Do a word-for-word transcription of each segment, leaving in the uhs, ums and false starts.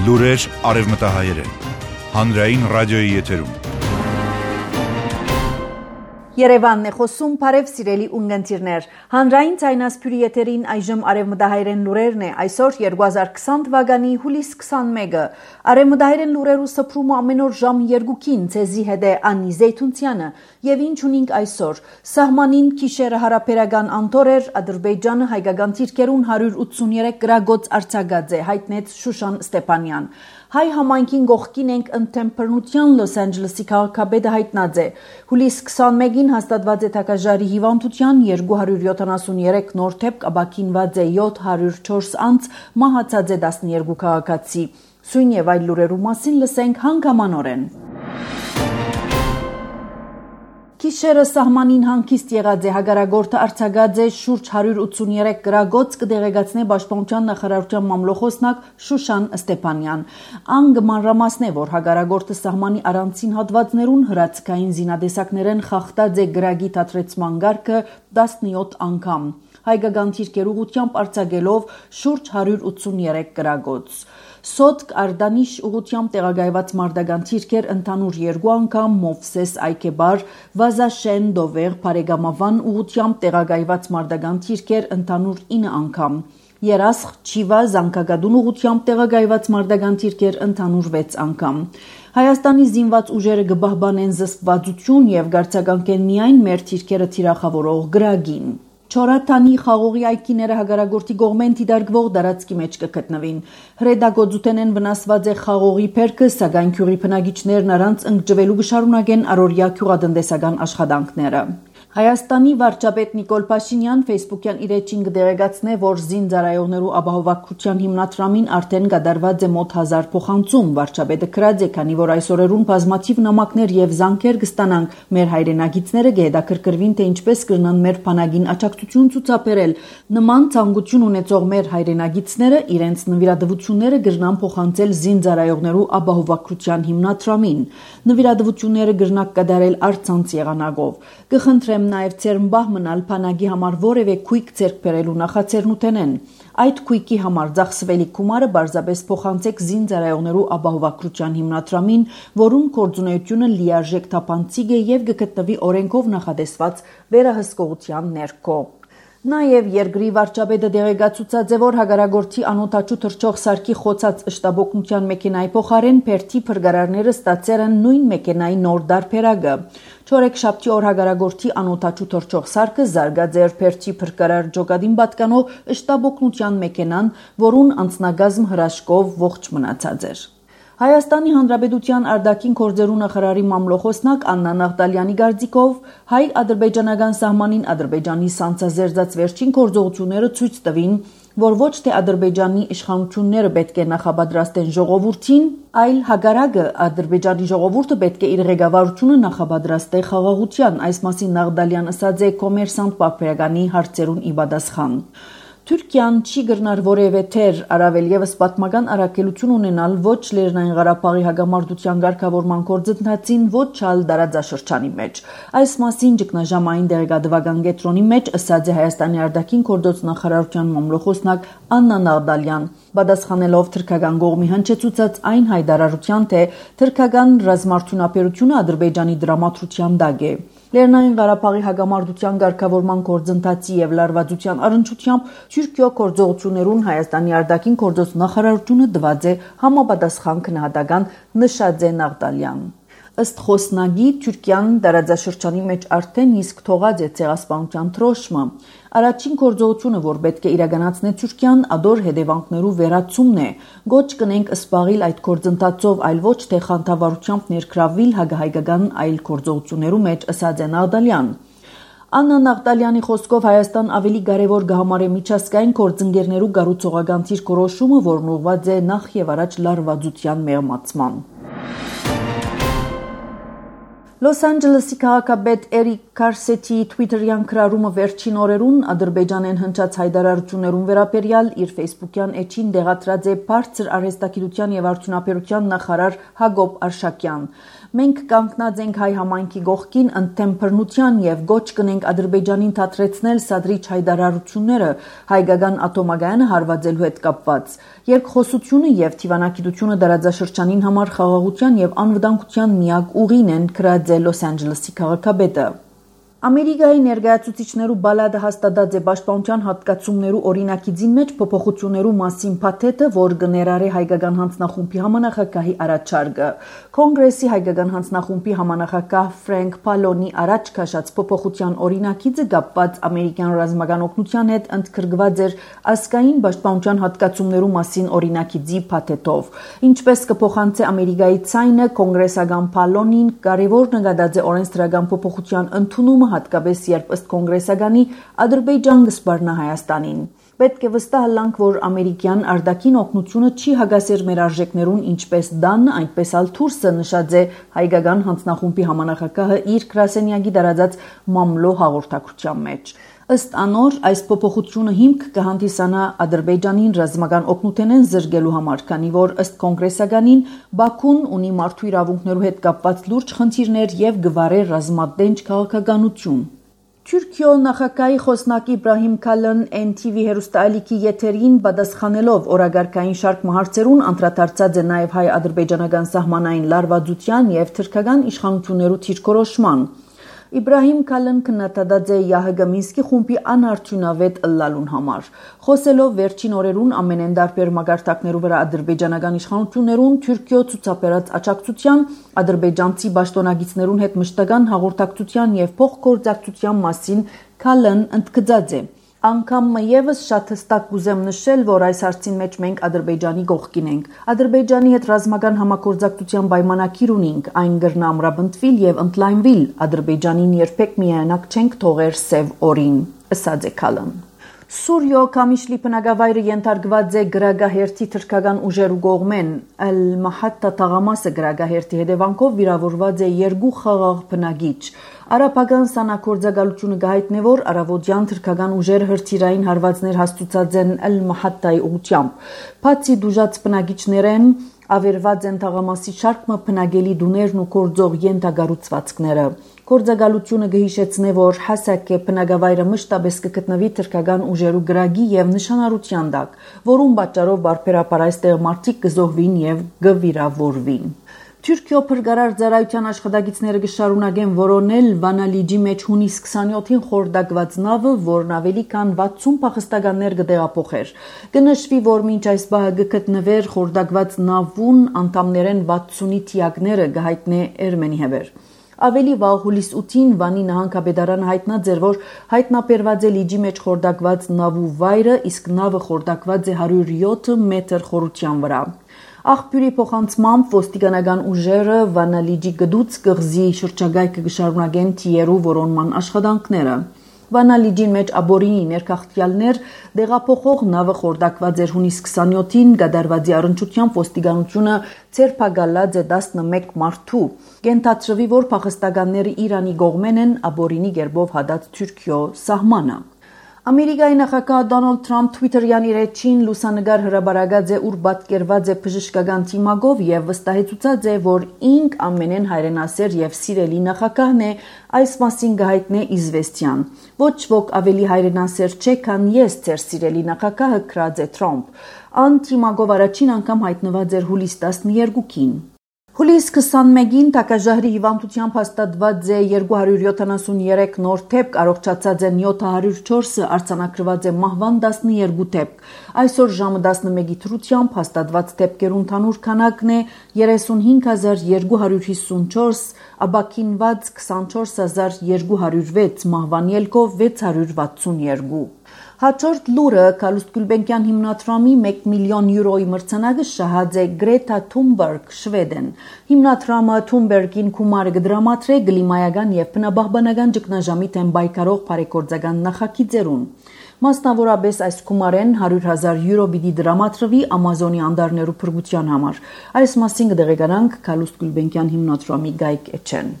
Լուրեր արևմտահայերեն։ Հանրային ռադիոյի եթերում։ Երևանն է խոսում, բարև սիրելի ունգընտիրներ։ Հանրային ցայնասփյուրի եթերին այժմ արևմտահայերեն լուրերն է, այսօր երկու հազար քսան թվականի հուլիս քսանմեկը։ Արևմտահայերեն լուրերու սփռումը ամեն օր ժամ երկուքին ցեզի հետ է Անի Զեյթունցյանը, եւ ինչ ունենք այսօր։ Սահմանին քիշերը հարաբերական անտորեր Ադրբեջանը հայկական թիրքերուն հարյուր ութսուներեք գրագոց արձակած է, հայտնեց Շուշան Ստեփանյան։ Հայ համայնքին գողքին ենք ընթեմփռնության Լոս Անջելեսի քաղաքապետը հայտնած է։ Հուլիս քսանմեկին հաստատված է թակաժարի հիվանդության երկու հարյուր յոթանասուներեք նոր դեպք, ապաքինված է յոթ հարյուր չորս անց, մահացած է տասներկու քաղաքացի։ Սույն եւ այլ լուրերու մասին լսենք հանգամանորեն։ Քիշերը սահմանին հանգիստ եղած է, հագարագործը արձակած է շուրջ հարյուր ութսուներեք գրագոց, կդեղեկացնե Պաշտպանության նախարարության մամլոխոսնակ Շուշան Ստեփանյան։ Ան կմանրամասնե, որ հագարագործը սահմանի առանցին հատվածներուն հրացքային զինադեսակներեն խախտած է գրագի թատրեցման գարկը տասնյոթ անգամ։ Հայկական թիրքեր ուղղությամբ արձակելով շուրջ հարյուր ութսուներեք գրագոց։ Սոտկ Արդանիշ ուղղությամբ տեղակայված մարտական թիրքեր ընդհանուր երկու անգամ, Մովսես Այքեբար, Վազաշեն Դովեր Փարեգամավան ուղղությամբ տեղակայված մարտական թիրքեր ընդհանուր ինը անգամ, Երասխ Չիվա Զանգագադուն ուղղությամբ տեղակայված մարտական թիրքեր ընդհանուր վեց անգամ։ Հայաստանի զինված ուժերը կպահպանեն զսպվածություն եւ գարցականքեն միայն մեր թիրքերը թիրախավորող գրագին։ Չորաթանի խաղողի այգիները հագարագործի կողմեն դիտարկվող տարածքի մեջ կգտնվին։ Հրեդագործութենեն վնասված է խաղողի բերքը, սակայն գյուղի բնակիչներն առանց ընկճվելու կշարունակեն առօրյա գյուղատնտեսական աշխատանքները։ Հայաստանի վարչապետ Նիկոլ Փաշինյան Facebook-յան իր էջին կդեղեկացնե, որ զինծառայողներու ապահովակրթության հիմնադրամին արդեն կատարված է մոտ հազար փոխանցում։ Վարչապետը գրած է, քանի որ այս օրերուն բազմաթիվ նամակներ եւ զանգեր կստանանք, մեր հայրենագիտները կհետաքրքրվին, թե ինչպես կրնան մեր բանակին աջակցություն ցուցաբերել։ Նման ցանկություն ունեցող մեր հայրենագիտները իրենց նվիրատվությունները կրնան փոխանցել զինծառայողներու ապահովակրթության հիմնադրամին։ Նվիրատվությունները կրնակ կատարել առցանց եղանակով։ Կխնդրեմ նաև ցերմբահ մնալ բանակի համար որևէ քույք ձեռք բերելու նախաձեռնութենեն։ Այդ քույքի համար ծախսվելիք գումարը բարձրապես փոխանցեք զինծառայողներու ապահովակրթության հիմնադրամին, որուն գործունեությունը լիարժեք թափանցիկ է եւ կգտնվի օրենքով նախադեсված վերահսկողության ներքո։ Նաև երկրի վարչապետը դեղեկացուցած է, որ հագարագործի անօթաչու թռչող սարքի խոցած շտաբօգնության մեքենայի փոխարեն Փերթի փրկարարները ստացել են նույն մեքենայի նոր դարբերակը։ Չորեքշաբթի օր հագարագործի անօթաչու թռչող սարքը զարգած էր Փերթի փրկարար ջոկադին պատկանող շտաբօգնության մեքենան, որուն անձնագազմ հրաշքով ողջ մնացած էր։ Հայաստանի Հանրապետության արտաքին գործերու նախարարի մամլոխոսնակ Աննա Նաղդալյանի կարծիքով հայ-ադրբեջանական սահմանին Ադրբեջանի սանձազերծած վերջին գործողությունները ցույց տվին, որ ոչ թե Ադրբեջանի իշխանությունները պետք է նախապատրաստեն ժողովրդին, այլ հակառակը Ադրբեջանի ժողովուրդը պետք է իր ղեկավարությունը նախապատրաստե խաղաղության, այս մասին Նաղդալյան ասաց է Կոմերսանտ Պարբերականի հարցերուն ի պատասխան։ Թուրքիան չի գրնար որևէ թեր, առավել եւս պատմական առաքելություն ունենալ ոչ Լեռնային Ղարաբաղի հակամարտության ղեկավարման գործընթացին, ոչ ալ դարաձաշրջանի մեջ։ Այս մասին ճգնաժամային դեղեկատվական կենտրոնի մեջ ասաց է Հայաստանի արտաքին գործոց նախարարության մամլոխոսնակ Աննա Նաղդալյան, պատասխանելով թուրքական կողմի հնչեցուցած այն հայտարարության, թե թուրքական ռազմարտունապերությունը Ադրբեջանի դրամատրության տակ է։ Լեռնային Ղարաբաղի հակամարտության ղեկավարման գործընթացի եւ լարվածության առնչությամբ Թուրքիո գործողություններուն Հայաստանի արտաքին գործոց նախարարությունը տված է համապատասխան քննադատական, նշած է Նաղդալյան։ Ըստ խոսնագի Թուրքիան դարաձաշրջանի մեջ արդեն իսկ թողած է ցեղասպանության թրոշմը։ Առաջին գործողությունը, որ պետք է իրականացնի Թուրքիան, ադոր հետևանքներու վերացումն է։ Գոչ կնենք սպաղիլ այդ գործընթացով, այլ ոչ թե խանդավառությամբ ներգրավվել հագահայկական այլ գործողություններու մեջ, ասաց է Նաղդալյան։ Աննա Նաղդալյանի խոսքով Հայաստան ավելի կարևոր կհամարե միջազգային գործընկերներու կառուցողական դիրքորոշումը, որն ուղղված է նախ եւ առաջ լարվածության մեղմացման։ Լոս Անջելեսի քաղաքապետ Էրիկ Քարսեթի Twitter-յան քրարումը վերջին օրերուն Ադրբեջանեն հնչած հայտարարություններուն վերաբերյալ իր Facebook-յան էջին դեղատրած է բարձր արհեստագիտության եւ արդյունաբերության նախարար Հակոբ Արշակյան։ Մենք կանգնած ենք հայ համայնքի գողքին ընդդեմ բռնության եւ գոչ կնենք Ադրբեջանին թատրեցնել սադրիչ հայտարարությունները հայկական ատոմագայանը հարվածելու հետ կապված։ Երկխոսությունը եւ թիվանագիտությունը դարաձաշրջանին համար խաղաղության եւ անվտանգության միակ ուղին են գրած է Լոս Անջելեսի քաղաքապետը։ Ամերիկայի ներկայացուցիչներու բալադը հաստատած է պաշտպանության հատկացումներու օրինակիցին մեջ փոփոխություններու մասին փաթեթը, որ կներառի հայկական հանձնախումբի համանախագահի առաջարկը։ Կոնգրեսի հայկական հանձնախումբի համանախագահ Ֆրենկ Պալոնի առաջ քաշած փոփոխության օրինակիցը կապված ամերիկյան ռազմական օգնության հետ ընդգրկված էր ազգային պաշտպանության հատկացումներու մասին օրինակիցի փաթեթով։ Ինչպես կփոխանցի Ամերիկայի ցայնը, կոնգրեսական Պալոնին կարևոր նկատած է օրենսդրական փոփոխության ընդունումը հատկապես երբ ըստ կոնգրեսականի Ադրբեջան կսպառնա Հայաստանին։ Պետք է վստահ լանք, որ ամերիկյան արտաքին օգնությունը չի հագասեր մեր արժեքներուն, ինչպես Դանը, այնպես ալ Թուրսը նշած է հայկական հանձնախումբի համանախագահը իր գրասենյակի դարածած մամլո հաղորդակցության մեջ։ Ըստ անոր, այս փոփոխությունը հիմք կհանդիսանա Ադրբեջանին ռազմական օգնութենեն զրկելու համար, քանի որ ըստ կոնգրեսականին Բաքուն ունի մարդու իրավունքներու հետ կապված լուրջ խնդիրներ եւ գվարե ռազմատենչ քաղաքականություն։ Թուրքիո նախագահի խոսնակ Իբրահիմ Քալն Էն Թի Վի հեռուստաալիքի եթերին պատասխանելով օրագարկային շարք հարցերուն անդրադարձած է նաև հայ-ադրբեջանական սահմանային լարվածության եւ թրքական իշխանություններու թիրքորոշման։ Իբրահիմ Քալն քննադատած է ԵԱՀԿ Մինսկի խումբի անարդյունավետ ըլլալուն համար։ Խոսելով վերջին օրերուն ամենեն դարբեր մագարտակներու վրա ադրբեջանական իշխանություններուն Թուրքիո ցուցաբերած աջակցության, ադրբեջանցի պաշտոնագետներուն հետ մշտական հաղորդակցության եւ փոխգործակցության մասին Քալն ընդգծած է։ Անգամ եւս շատ հստակ կուզեմ նշել, որ այս հարցին մեջ մենք Ադրբեջանի կողքին ենք։ Ադրբեջանի հետ ռազմական համագործակցության պայմանագիր ունենք, այն կրնա ամրապնդվել եւ ընդլայնվել։ Ադրբեջանին երբեք միայնակ չենք թողեր սև օրին, ըսած է Քալն։ Սուրիո Կամիշլի բնակավայրը ենթարկված է գրագահերթի թրքական ուժերու կողմեն։ Ալ-Մահատտա թաղամասը գրագահերթի հետևանքով վիրավորված է երկու խաղաղ բնակիչ։ Արաբական սանաքորձակալությունը գահիտնե որ արավոտյան թրքական ուժերը հրթիռային հարվածներ հաստուցած են Ալ-Մահատտայի ուղությամբ։ Բացի դուժած բնակիչներեն ավերված են թաղամասի շարքը բնակելի դուներն ու կորձող ենթագառուցվածքները։ Կորձակալությունը կհիշեցնե, որ Հասակե բնակավայրը մշտապես կգտնվի թրքական ուժերու գրագի եւ նշանառության տակ, որուն պատճառով բարբերաբար այստեղ մարդիկ կզոհվին եւ կվիրավորվին։ Թուրքիո փրկարար ծառայության աշխատակիցները կշարունակեն որոնել Վանալիջի մեջ հունիս քսանյոթին խորտակված նավը, որն ավելի քան վաթսուն փախստականներ կտեղափոխեր։ Կնշվի, որ մինչ այս բահը կգտնվեր խորտակված նավուն անդամներեն վաթսունի թիակները կհայտնե Էրմենի հեվեր։ Ավելի վաղ հուլիս ութին Վանի նահանգապետարանը հայտնած էր, որ հայտնաբերված է լիջի մեջ խորտակված նավու վայրը, իսկ նավը խորտակված է հարյուր յոթ մետր խորության վրա։ Աղբյուրի փոխանցմամբ ոստիկանական ուժերը Վանալիջի գդուց կղզի շրջակայքը կշարունակեն թիերու որոնման աշխատանքները։ Վանալիջին մեջ աբորինի ներքախտյալներ դեղափոխող նավը խորտակված էր հունիս քսանյոթին, կատարվածի առնչությամբ ոստիկանությունը ցերպակալած է տասնմեկ մարդու։ Կենթադրվի, որ փախստականները Իրանի կողմեն են աբորինի գերբով հադած Թուրքիո սահմանը։ Ամերիկայի նախագահ Դոնալդ Թրամփ Twitter-յան իր էջին լուսանգար հրաբարացած է, ուր պատկերված է բժշկական թիմակով եւ վստահեցուցած է, որ ինք ամենեն հայրենասեր եւ սիրելի նախագահն է, այս մասին կհայտնե իզվեստյան։ Ոչ ոք ավելի հայրենասեր չէ, քան ես, ձեր սիրելի նախագահը, գրած է Թրամփ։ Ան թիմակով առաջին անգամ հայտնված էր հուլիս տասներկուին։ Հուլիս քսանմեկին տակաժահրի հիվանդությամբ հաստատված է երկու հարյուր յոթանասունյերեք նոր դեպք, առողջացած են յոթ հարյուր չորսը, արձանագրված է մահվան տասներկու դեպք։ Այսօր ժամը տասնմեկի թրությամբ հաստատված դեպքերու ընդհանուր քանակն է երեսունհինգ հազար երկու հարյուր հիսունչորս, ապաքինված քսանչորս հազար երկու հարյուր վեց, մահվան ելքով վեց հարյուր վաթսունյերկու։ Հաջորդ լուրը Կալուստ Գուլբենկյան հիմնադրամի մեկ միլիոն յուրոյի մրցանակը շահած է Գրետա Թունբերգ, Շվեդեն։ Հիմնադրամը Թունբերգին գումարը կդրամատրե կլիմայական եւ բնաբահբանական ճգնաժամի դեմ պայքարող բարեգործական նախագիծերուն։ Մասնավորապես այս գումարեն հարյուր հազար յուրո պիտի դրամատրվի Ամազոնի անդարներու փրկության համար։ Այս մասին կդեղեկանանք Կալուստ Գուլբենկյան հիմնադրամի գայք էջեն։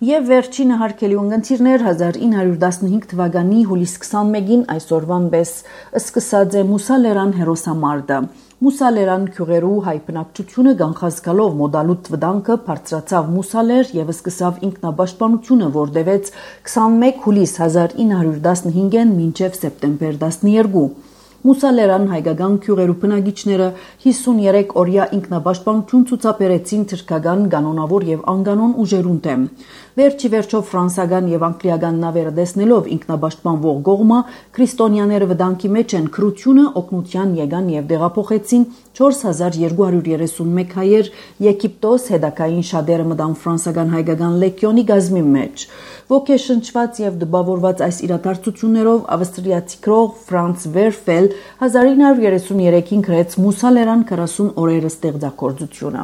Եվ վերջինը հարգելի ունգընտիրներ հազար ինը հարյուր տասնհինգ թվականի հուլիս քսանմեկին այսօրվան պես սկսած է Մուսալերան հերոսամարտը։ Մուսալերան քյուղերու հայ բնակչությունը գանխազգալով մոդալուտ վտանգը բարձրացավ Մուսալեր եւ սկսավ ինքնաբաշխանությունը, որտեղից քսանմեկ հուլիս հազար ինը հարյուր տասնհինգեն մինչև սեպտեմբեր տասներկու։ Մուսալերան հայկական քյուղերու բնակիչները հիսունյերեք օրյա ինքնաբաշխանություն ցուցաբերեցին թրքական, կանոնավոր եւ անկանոն ուժերուն դեմ։ Վերջի վերջով ֆրանսական եւ անգլիական նավերը տեսնելով ինքնաբաշխանվող գողմը քրիստոնյաները վտանգի մեջ են քրությունը օգնության եկան եւ դեղափոխեցին չորս հազար երկու հարյուր երեսունմեկ հայեր Եգիպտոս հետակային շատերը մտան ֆրանսական հայկական լեգիոնի գազմի մեջ։ Ոգեշնչված եւ դպավորված այս իրադարձություններով ավստրիացի գրող Ֆրանց Վերֆել հազար ինը հարյուր երեսուներեքին գրեց Մուսալերան քառասուն օրերը ստեղծագործությունը։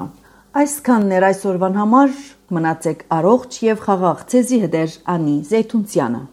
Այսքանն էր այսօրվան համար, մնացեք առողջ եւ խաղաղ ցեզի հետ Անի Զեյթունցյանը։